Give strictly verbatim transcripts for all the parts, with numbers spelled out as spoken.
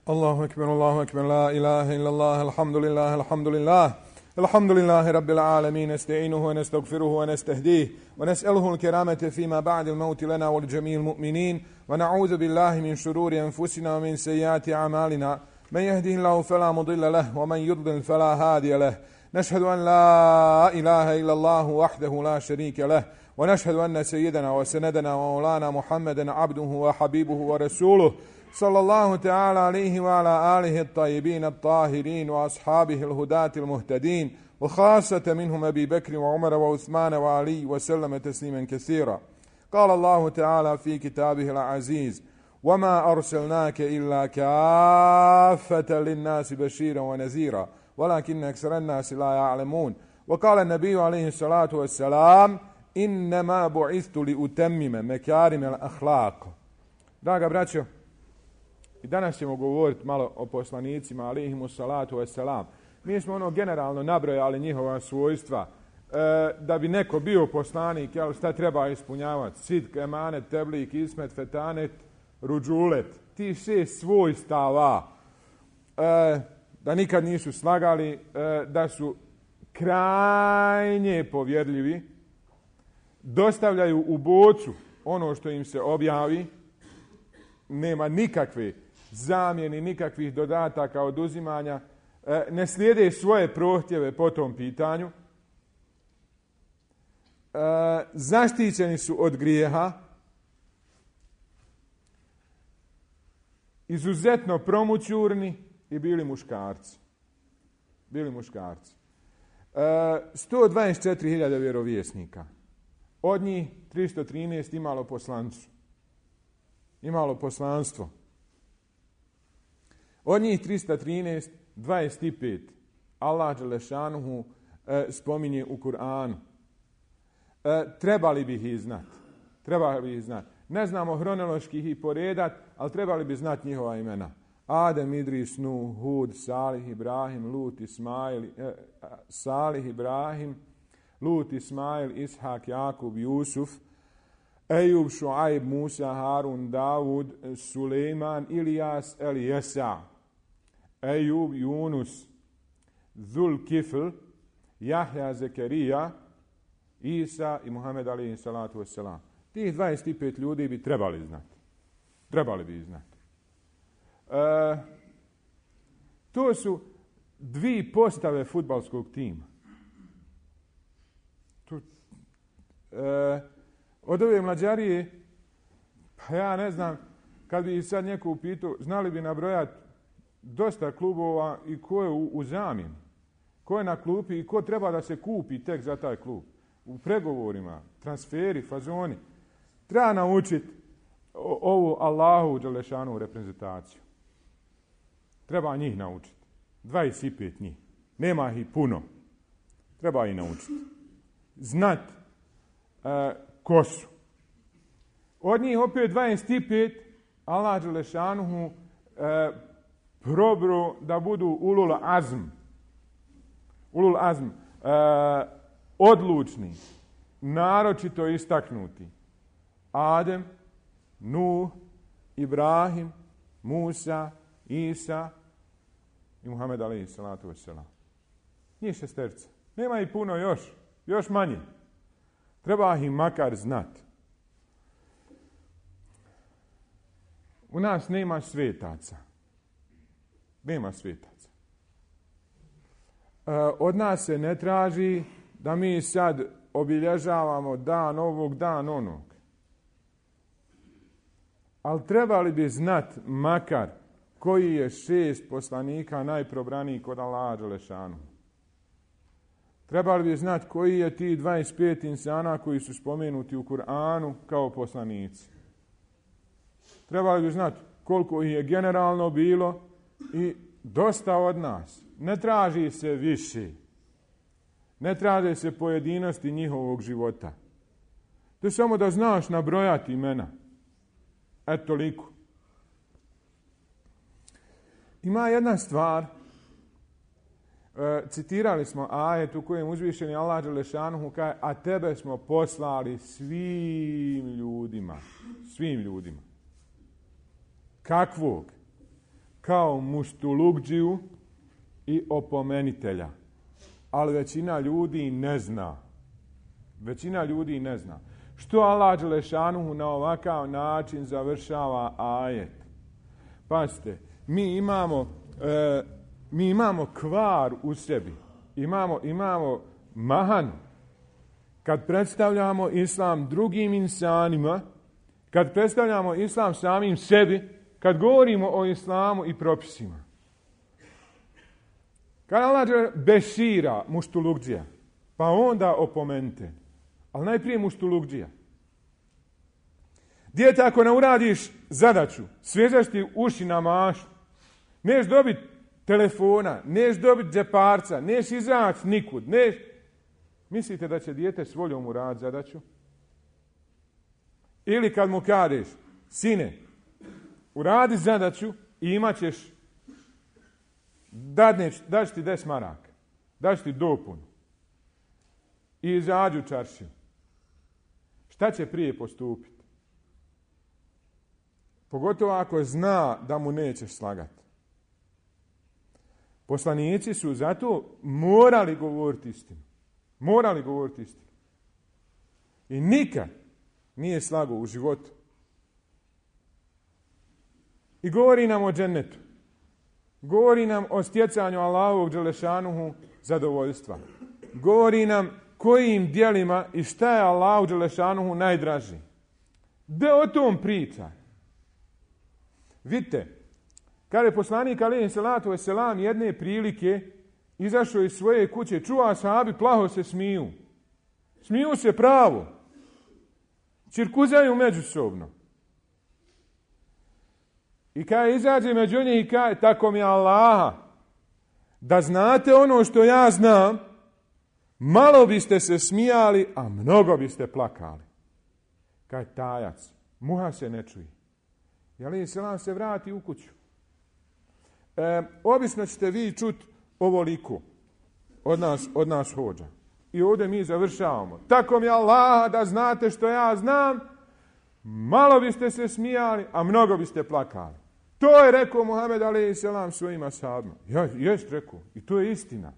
الله أكبر الله أكبر لا إله إلا الله الحمد لله الحمد لله الحمد لله رب العالمين نستعينه ونستغفره ونستهديه ونسأله الكرامة فيما بعد الموت لنا ولجميع المؤمنين ونعوذ بالله من شرور أنفسنا ومن سيئات أعمالنا من يهده الله فلا مضل له ومن يضلل فلا هادي له نشهد أن لا إله إلا الله وحده لا شريك له ونشهد أن سيدنا وسندنا ومولانا محمدا عبده وحبيبه ورسوله صلى الله تعالى عليه وعلى آله الطيبين الطاهرين وأصحابه الهداة المهتدين وخاصة منهم أبي بكر وعمر وعثمان وعلي وسلم تسليما كثيرا. قال الله تعالى في كتابه العزيز: وما أرسلناك إلا كافة للناس بشيرا ونذيرا ولكن أكثر الناس لا يعلمون. وقال النبي عليه الصلاة والسلام: إنما بعثت لأتمم مكارم الأخلاق. Draga braćo, i danas ćemo govoriti malo o poslanicima, alejhimu salatu vesselam. Mi smo ono generalno nabrojali njihova svojstva. E, da bi neko bio poslanik, jel, šta treba ispunjavati? Sidk, emanet, teblik, ismet, fetanet, ruđulet. Ti šest svojstava. E, da nikad nisu slagali, e, da su krajnje povjerljivi, dostavljaju u bocu ono što im se objavi, nema nikakve zamjeni, nikakvih dodataka, oduzimanja, ne slijede svoje prohtjeve po tom pitanju, zaštićeni su od grijeha, izuzetno promućurni i bili muškarci. Bili muškarci. sto dvadeset četiri hiljade vjerovjesnika. Od njih tristo trinaest imalo poslancu. Imalo poslanstvo. Od njih tristo trinaest, dvadeset pet Allah dželešanuhu e, spominje u Kur'anu. E, trebali bi ih znati. Trebali bi ih znati. Ne znamo hronološki ih poredat, ali trebali bi znati njihova imena. Adem, Idris, Nuh, Hud, Salih, Ibrahim, Lut, Ismail, e, Salih, Ibrahim, Lut, Ismail, Ishak, Jakub, Jusuf, Ejub, Šuajb, Musa, Harun, Davud, Sulejman, Ilijas, Elijesa, Ejub, Yunus, Zul Kifl, Jahja, Zekerija, Isa i Muhammed alejhi salatu vesselam. Tih dvadeset pet ljudi bi trebali znati. Trebali bi znati. E, to su dvije postave fudbalskog tima. Tu, e, Od ove mlađarije, pa ja ne znam, kad bi sad neko upitao, znali bi nabrojati dosta klubova i ko je u, u zamjeni, ko je na klupi i ko treba da se kupi tek za taj klub. U pregovorima, transferi, fazoni. Treba naučiti ovu Allahu dželešanu reprezentaciju. Treba njih naučiti. dvadeset pet njih. Nema ih puno. Treba ih naučiti. Znat e, ko su. Od njih opet dvadeset pet Allah dželešanuhu e, probro da budu ulul azm. Ulul azm. E, odlučni. Naročito istaknuti. Adem, Nuh, Ibrahim, Musa, Isa i Muhammed alejhi salatu vesselam. Njih šesterca. Nema ih puno još. Još manje. Treba ih makar znati. U nas nema svetaca. Nema svetaca. E, od nas se ne traži da mi sad obilježavamo dan ovog, dan onog. Ali trebali bi znati makar koji je šest poslanika najprobraniji kod Allaha dželešanu. Trebali bi znati koji je ti dvadeset pet insana koji su spomenuti u Kur'anu kao poslanici. Trebali bi znati koliko ih je generalno bilo i dosta od nas. Ne traži se više. Ne traže se pojedinosti njihovog života. To je samo da znaš nabrojati imena. Eto toliko. Ima jedna stvar. E, citirali smo ajet u kojem uzvišeni Allah dželešanuhu kaže: a tebe smo poslali svim ljudima. Svim ljudima. Kakvog? kao muštulugđiju i opomenitelja. Ali većina ljudi ne zna. Većina ljudi ne zna. Što Allah dželešanuhu na ovakav način završava ajet? Pazite, mi imamo, e, mi imamo kvar u sebi. Imamo, imamo mahanu. Kad predstavljamo islam drugim insanima, kad predstavljamo islam samim sebi, kad govorimo o islamu i propisima. Kad Allah bešira muštulugđija, pa onda opomenite. Ali najprije muštulugđija. Dijete, ako ne uradiš zadaću, svežaš ti uši na mašu, neš dobiti telefona, neš dobiti džeparca, neš izaći nikud, neš... Mislite da će dijete s voljom uraditi zadaću? Ili kad mu kažeš, sine, uradi zadaću i imat ćeš, daći ti deset maraka, daći ti dopunu i izađu u čaršiju. Šta će prije postupiti? Pogotovo ako zna da mu nećeš slagati. Poslanici su zato morali govoriti istinu. Morali govoriti istinu. I nikad nije slago u životu. I govori nam o džennetu. Govori nam o stjecanju Allahovog dželešanuhu zadovoljstva. Govori nam kojim djelima i šta je Allahu dželešanuhu najdraži. Da o tom priča. Vidite, kada je poslanik alejhi selatu vesselam jedne prilike izašao iz svoje kuće, čuva ashabi plaho se smiju. Smiju se pravo. Cirkuzaju međusobno. I kada izađe među njih i kaže, tako mi Allaha, da znate ono što ja znam, malo biste se smijali, a mnogo biste plakali. Kaj tajac, muha se ne čuje. I alejhi selam se vrati u kuću. E, obično ćete vi čuti ovoliko od nas, od nas hođa. I ovdje mi završavamo. Tako mi Allah, da znate što ja znam, malo biste se smijali, a mnogo biste plakali. To je rekao Muhammed alejhi selam svojim ashabima. Ja, jest rekao. I to je istina.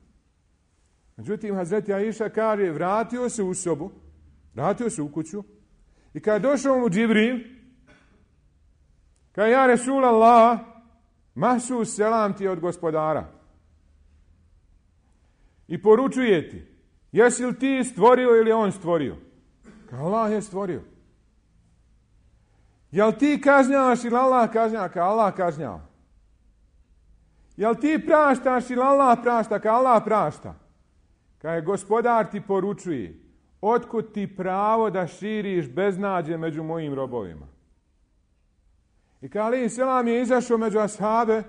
Međutim, Hazreti Aisha kaže, vratio se u sobu, vratio se u kuću i kad je došao mu Džibril, kaže, ja Resul Allah, mahsus selam ti od gospodara. I poručuje ti, jesi li ti stvorio ili on stvorio? Kaže, Allah je stvorio. Jel ti kažnjavaš ili Allah kažnjava? Kaže, Allah kažnjava. Jel ti praštaš ili Allah prašta? Kaže, Allah prašta. Kaže, gospodar ti poručuje, otkud ti pravo da širiš beznađe među mojim robovima? I kaže, alejhi selam je izašao među ashabe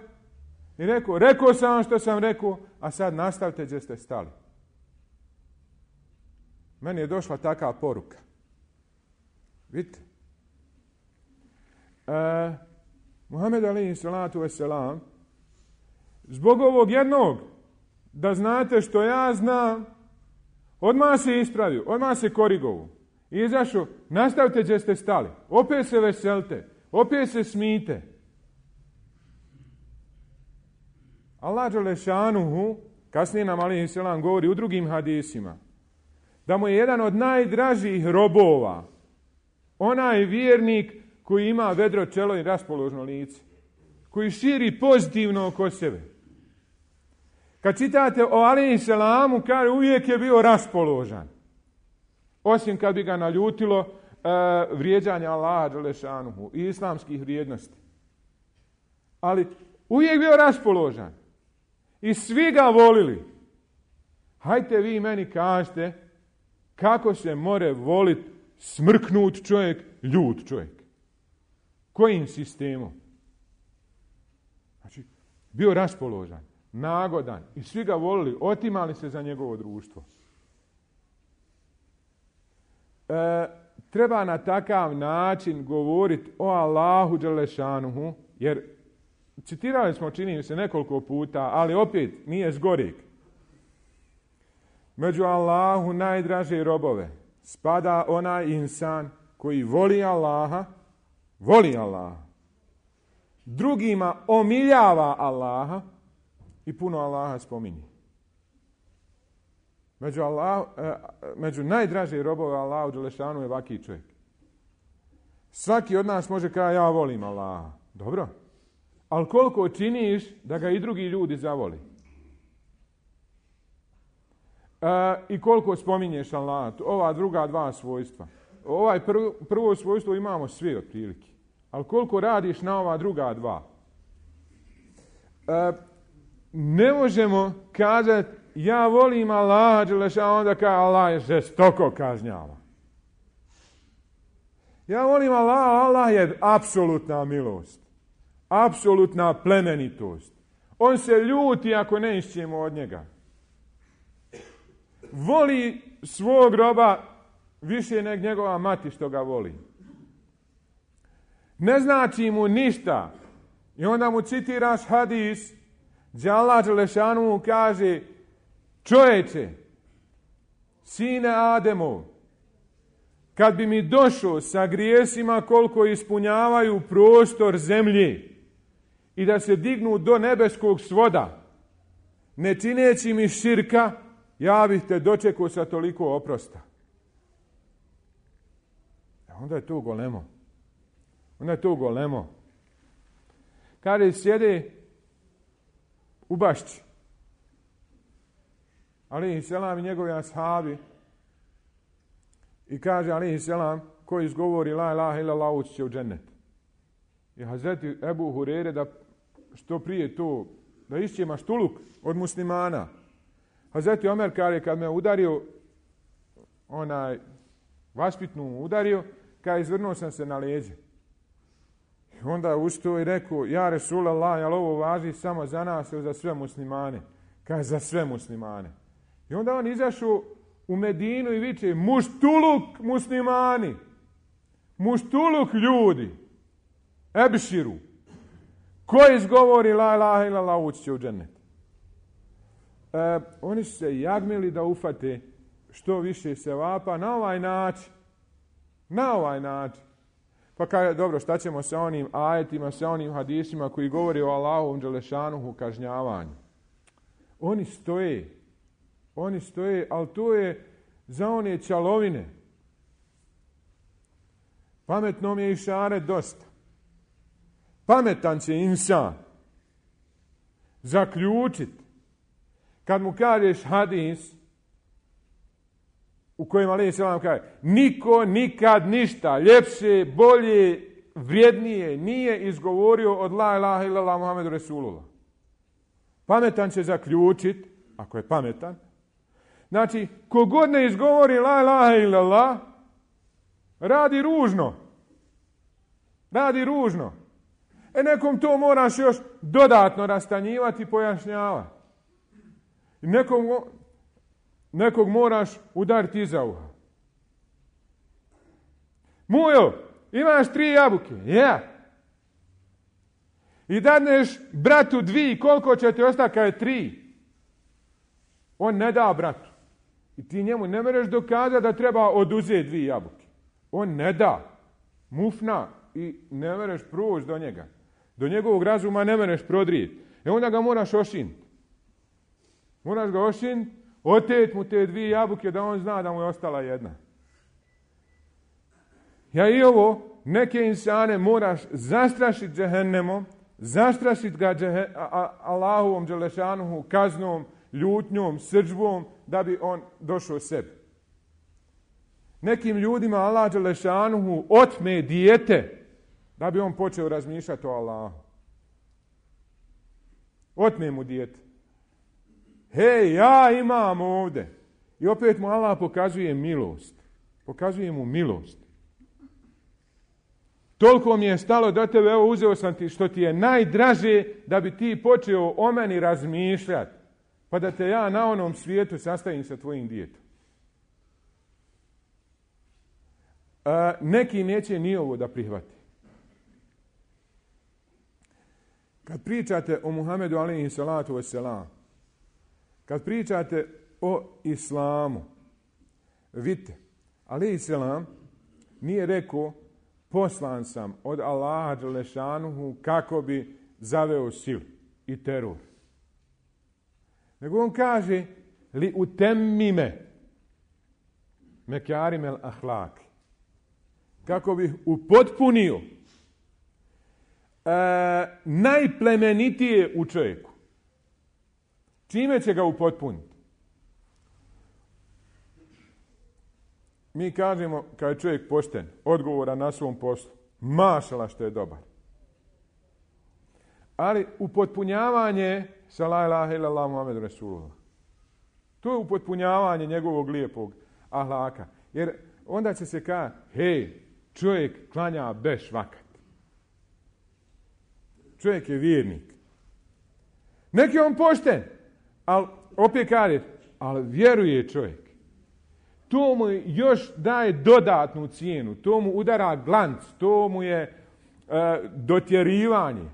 i rekao, rekao sam vam što sam rekao, a sad nastavite gdje ste stali. Meni je došla takva poruka. Vidite? E, Muhammed alejhi salatu vesselam, zbog ovog jednog, da znate što ja znam, odmah se ispravio, odmah se korigovo. I izašao, nastavite gdje ste stali. Opet se veselite, opet se smijte. Allah dželešanuhu, kasnije nam alejhi selam govori u drugim hadisima, da mu je jedan od najdražih robova onaj vjernik koji ima vedro čelo i raspoložno lice, koji širi pozitivno oko sebe. Kad čitate o alejhi selamu, kaže uvijek je bio raspoložan. Osim kad bi ga naljutilo uh, vrijeđanje Allaha dželešanuhu i islamskih vrijednosti. Ali uvijek bio raspoložan. I svi ga volili. Hajte vi meni kažete kako se more volit smrknut čovjek, ljut čovjek. Kojim sistemom? Znači, bio raspoložan, nagodan i svi ga volili, otimali se za njegovo društvo. E, treba na takav način govoriti o Allahu dželešanuhu, jer citirali smo, čini se, nekoliko puta, ali opet nije zgoreg. Među Allahu najdraže robove spada onaj insan koji voli Allaha, voli Allaha. drugima omiljava Allaha i puno Allaha spominje. Među, Allah, među najdraže robove Allahu dželešanu je vaki čovjek. Svaki od nas može kaže ja volim Allaha. Dobro. Ali koliko činiš da ga i drugi ljudi zavoli? E, I koliko spominješ Allaha? Ova druga dva svojstva. Ovaj prvo, prvo svojstvo imamo svi otprilike. Ali koliko radiš na ova druga dva? E, ne možemo kazati ja volim Allaha dželešanu, onda kaže Allah je žestoko kažnjava. Ja volim Allaha, Allah je apsolutna milost. Apsolutna plemenitost. On se ljuti ako ne išćemo od njega. Voli svog roba više nego njegova mati što ga voli. Ne znači mu ništa. I onda mu citiraš hadis gdje Allah dželešanu mu kaže čovječe, sine Ademov, kad bi mi došao sa grijesima koliko ispunjavaju prostor zemlje i da se dignu do nebeskog svoda, ne čineći mi širka, ja bih te dočekao sa toliko oprosta. E onda je to golemo. Onda je to golemo. Kada sjede u bašći, alejhi selam i njegovi ashabi, i kaže alejhi selam, ko izgovori la ilaha illallah ući će u džennet. I Hazreti Ebu Hurere da što prije to, da išće maštuluk od muslimana. Hazreti Omer kaže kad me udario, onaj vaspitnu udario, kaže izvrnuo sam se na leđe. I onda ustao i rekao, ja Resulallah, jel ovo važi samo za nas ili za sve muslimane? Kaže za sve muslimane. I onda on izašao u Medinu i viče, muštuluk muslimani, muštuluk ljudi, ebširu, ko izgovori la ilaha illallah ući će u džennet. E, oni su se jagmili da ufate što više sevapa na ovaj način. Na ovaj način. Pa kaže, dobro, šta ćemo sa onim ajetima, sa onim hadisima koji govori o Allahovom dželešanuhu kažnjavanju. Oni stoje. Oni stoje, ali to je za one čalovine. Pametnom je išaret dosta. Pametan će insan zaključiti. Kad mu kažeš hadis u kojem alejhi selam kaže niko nikad ništa ljepše, bolje, vrijednije nije izgovorio od la ilaha illallah Muhammedu Resulullah. Pametan će zaključiti, ako je pametan, znači, kogod ne izgovori la ilaha illallah, radi ružno. Radi ružno. E nekom to moraš još dodatno rastanjivati i pojašnjavati. Nekog, nekog moraš udariti iza uha. Mujo, imaš tri jabuke. Ja. I dadneš bratu dvi, koliko će ti ostati kada je tri? On ne da bratu. I ti njemu ne mereš dokazati da treba oduzeti dvije jabuke. On ne da. Mufna. I ne mereš proći do njega. Do njegovog razuma ne mereš prodrijeti. E onda ga moraš ošiniti. Moraš ga ošiniti, oteti mu te dvije jabuke da on zna da mu je ostala jedna. Ja i ovo, neke insane moraš zastrašiti džehennemom, zastrašiti ga džehe, a, a, Allahovom dželešanuhu kaznom, ljutnjom, srdžbom, da bi on došao sebi. Nekim ljudima Allah dželešanuhu otme dijete, da bi on počeo razmišljati o Allahu. Otme mu dijete. Hej, ja imam ovdje. I opet mu Allah pokazuje milost. Pokazuje mu milost. Toliko mi je stalo do tebe, evo uzeo sam ti što ti je najdraže da bi ti počeo o meni razmišljati. Pa da te ja na onom svijetu sastavim sa tvojim djetom. A, neki neće ni ovo da prihvati. Kad pričate o Muhammedu alejhi salatu vesselam, kad pričate o islamu, vidite, alejhi selam nije rekao poslan sam od Allaha dželešanuhu kako bi zaveo silu i teror. Nego on kaže li utemmime mekarimel ahlaki, kako bih upotpunio e, najplemenitije u čovjeku. Čime će ga upotpuniti? Mi kažemo kad je čovjek pošten, odgovoran na svom poslu, mašala što je dobar. Ali upotpunjavanje sa la ilaha illallah Muhammedu Rasulullah. To je upotpunjavanje njegovog lijepog ahlaka. Jer onda će se kaži, hej, čovjek klanja beš vakat. Čovjek je vjernik. Neki je on pošten, ali opet kaže, ali vjeruje čovjek. To mu još daje dodatnu cijenu, to mu udara glanc, to mu je e, dotjerivanje.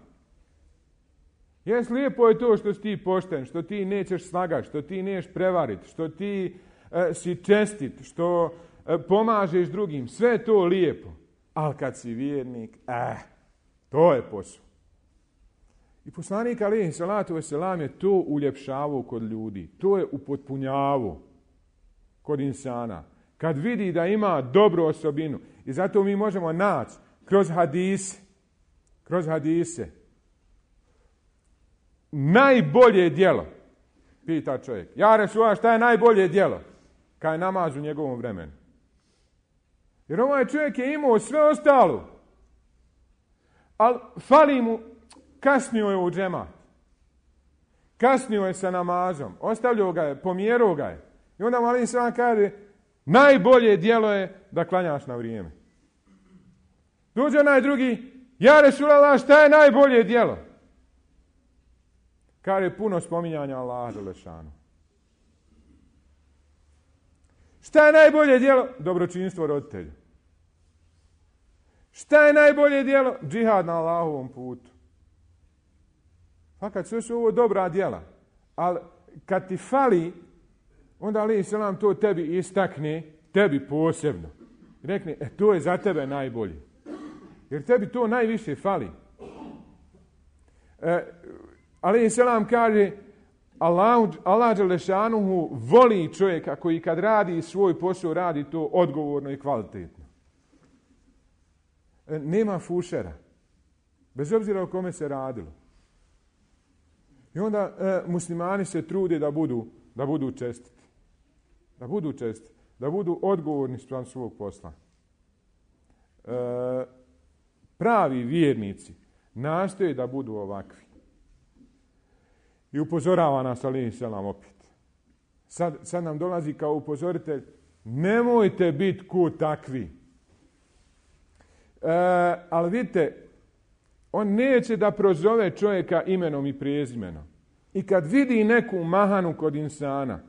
Jes, lijepo je to što si ti pošten, što ti nećeš slagati, što ti nećeš prevariti, što ti e, si čestit, što e, pomažeš drugim, sve to lijepo. Ali kad si vjernik, eh, to je posao. I poslanik alejhi salatu vesselam je to uljepšavao kod ljudi, to je upotpunjavao kod insana. Kad vidi da ima dobru osobinu. I zato mi možemo naći kroz hadise, kroz hadise, najbolje djelo, pita čovjek. Ja Resulullah, šta je najbolje djelo? Kad je namaz u njegovom vremenu. Jer ovaj čovjek je imao sve ostalo. Ali fali mu, kasnio je u džemat. Kasnio je sa namazom. Ostavljao ga je, pomjerao ga je. I onda mu alejhi selam kaže, najbolje djelo je da klanjaš na vrijeme. Dođe onaj drugi, ja Resulullah, šta je najbolje djelo? Kaže, puno spominjanja Allaha dželešanu. Šta je najbolje djelo? Dobročinstvo roditelju. Šta je najbolje djelo? Džihad na Allahovom putu. Fakat sve su ovo dobra djela. Ali kad ti fali, onda alejhi selam to tebi istakne, tebi posebno. I rekne, e, to je za tebe najbolje. Jer tebi to najviše fali. E, alejhi selam kaže, Allah, Allah dželešanuhu voli čovjeka koji kad radi svoj posao, radi to odgovorno i kvalitetno. E, nema fušera. Bez obzira o kome se radilo. I onda e, muslimani se trude da budu, da budu čestiti. Da budu čestiti. Da budu odgovorni spram svog posla. E, pravi vjernici nastoje da budu ovakvi. I upozorava nas alejhi selam opet. Sad, sad nam dolazi kao upozoritelj, nemojte biti ko takvi. E, ali vidite, on neće da prozove čovjeka imenom i prezimenom. I kad vidi neku mahanu kod insana,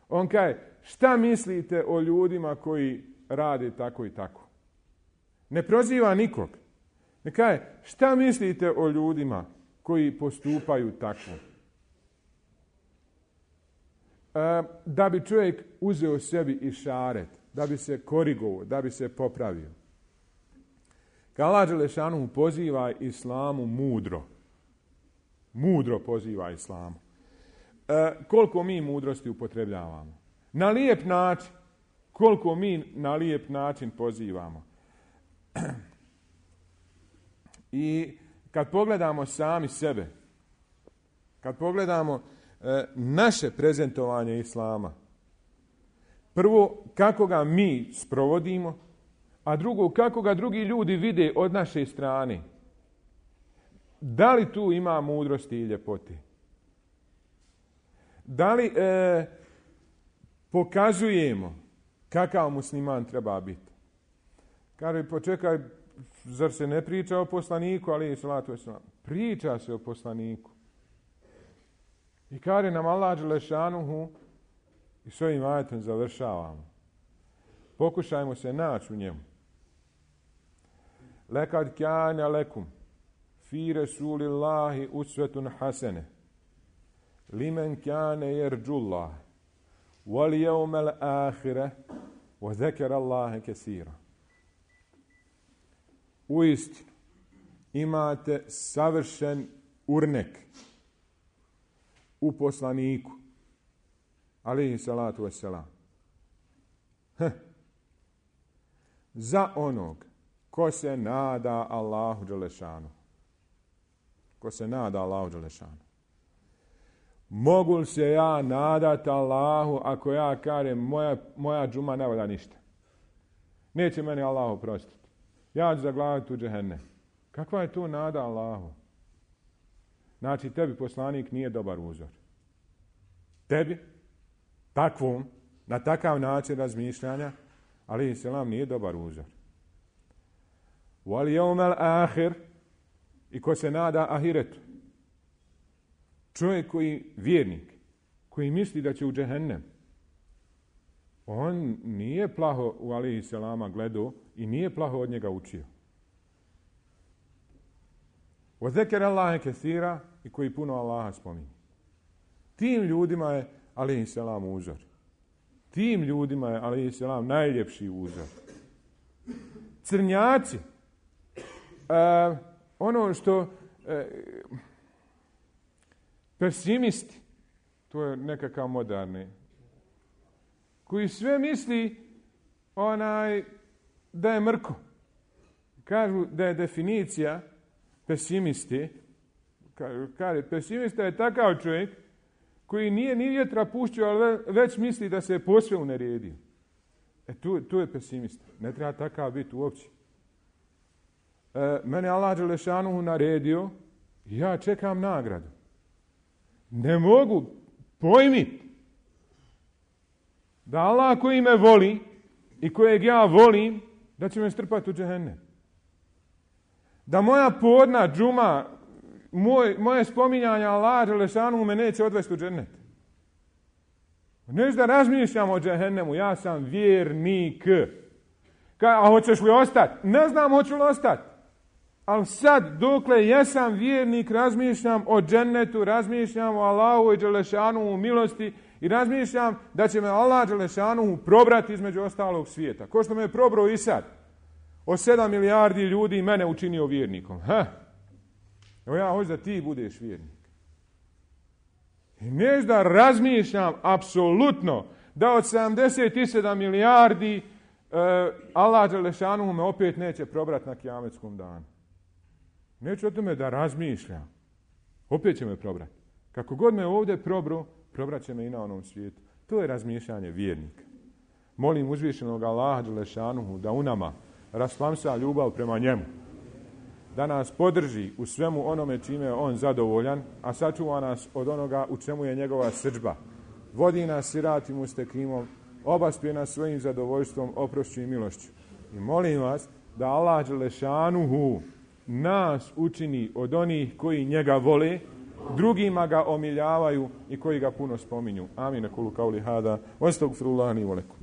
on kaže, šta mislite o ljudima koji rade tako i tako? Ne proziva nikog. Ne kaže, šta mislite o ljudima koji postupaju tako? E, da bi čovjek uzeo sebi išaret, da bi se korigovao, da bi se popravio. Kad Allah dželešanu poziva islamu mudro, mudro poziva islamu. E, koliko mi mudrosti upotrebljavamo? Na lijep način. Koliko mi na lijep način pozivamo? I kad pogledamo sami sebe, kad pogledamo e, naše prezentovanje islama, prvo kako ga mi sprovodimo, a drugo kako ga drugi ljudi vide od naše strane. Da li tu ima mudrosti i ljepote? Da li e, pokazujemo kakav musliman treba biti? Kaže, počekaj, zar se ne priča o poslaniku, alejhi salatu vesselam? Priča se o poslaniku. I kaže nam Allah dželešanuhu, i s ovim ajetom završavamo. Pokušajmo se naći u njemu. Lekad kjana lekum fi Rasulillahi usvetun hasene limen kjane jerđullah wal jevmel ahire wa zekera Allahe kesira. uistinu imate savršen urnek u poslaniku, alejhi salatu vesselam. Za onog ko se nada Allahu dželešanu. Ko se nada Allahu dželešanu. Mogu li se ja nadati Allahu ako ja kažem moja, moja džuma ne valja ništa? Neće meni Allah oprostiti. Ja ću zaglaviti u džehennem. Kakva je to nada Allahu? Znači, tebi poslanik nije dobar uzor. Tebi, takvom, na takav način razmišljanja, alejhi selam nije dobar uzor. Wal yawmal akhir, i ko se nada ahiretu. Čovjek koji, vjernik, koji misli da će u džehennem, on nije plaho u alejhi selama gledao i nije plaho od njega učio. Wa zekera Allahe kesira, i koji puno Allaha spominje. Tim ljudima je alejhi selam uzor. Tim ljudima je alejhi selam najljepši uzor. Crnjaci, uh, ono što uh, pesimisti, to je nekakav moderni, koji sve misli onaj da je mrko. Kažu da je definicija pesimisti, kaže, pesimista je takav čovjek koji nije ni vjetra puštio, ali već misli da se je posve uneredio. E, tu, tu je pesimista. Ne treba takav biti uopće. E, mene Allah dželešanuhu naredio i ja čekam nagradu. Ne mogu pojmiti da Allah koji me voli i kojeg ja volim, da će me strpati u džehennem. Da moja podna džuma, moj, moje spominjanje Allah dželešanuhu me neće odvesti u džennet. Neću da razmišljam o džehennemu, ja sam vjernik. Ka, a hoćeš li ostati? Ne znam hoću li ostati. Ali sad, dokle jesam vjernik, razmišljam o džennetu, razmišljam o Allahu i dželešanuhu milosti i razmišljam da će me Allah dželešanuhu probrati između ostalog svijeta. Ko što me je probrao i sad. O sedam milijardi ljudi mene učinio vjernikom. Ha? Evo ja hoću da ti budeš vjernik. I neću da razmišljam apsolutno da od sedamdeset sedam milijardi uh, Allah dželešanuhu me opet neće probrati na kijametskom danu. Neću o tome da razmišljam. Opet će me probrati. Kako god me ovdje probro, probrat će me i na onom svijetu. To je razmišljanje vjernika. Molim uzvišenog Allaha dželešanuhu da u nama rasplamsa ljubav prema njemu. Da nas podrži u svemu onome čime je on zadovoljan, a sačuva nas od onoga u čemu je njegova srdžba. Vodi nas siratim mustekimom, obaspije nas svojim zadovoljstvom, oprošću i milošću. I molim vas da Allah dželešanuhu nas učini od onih koji njega vole, drugima ga omiljavaju i koji ga puno spominju. Amin. Kulu kauli hada. Astagfirullahi wa lakum.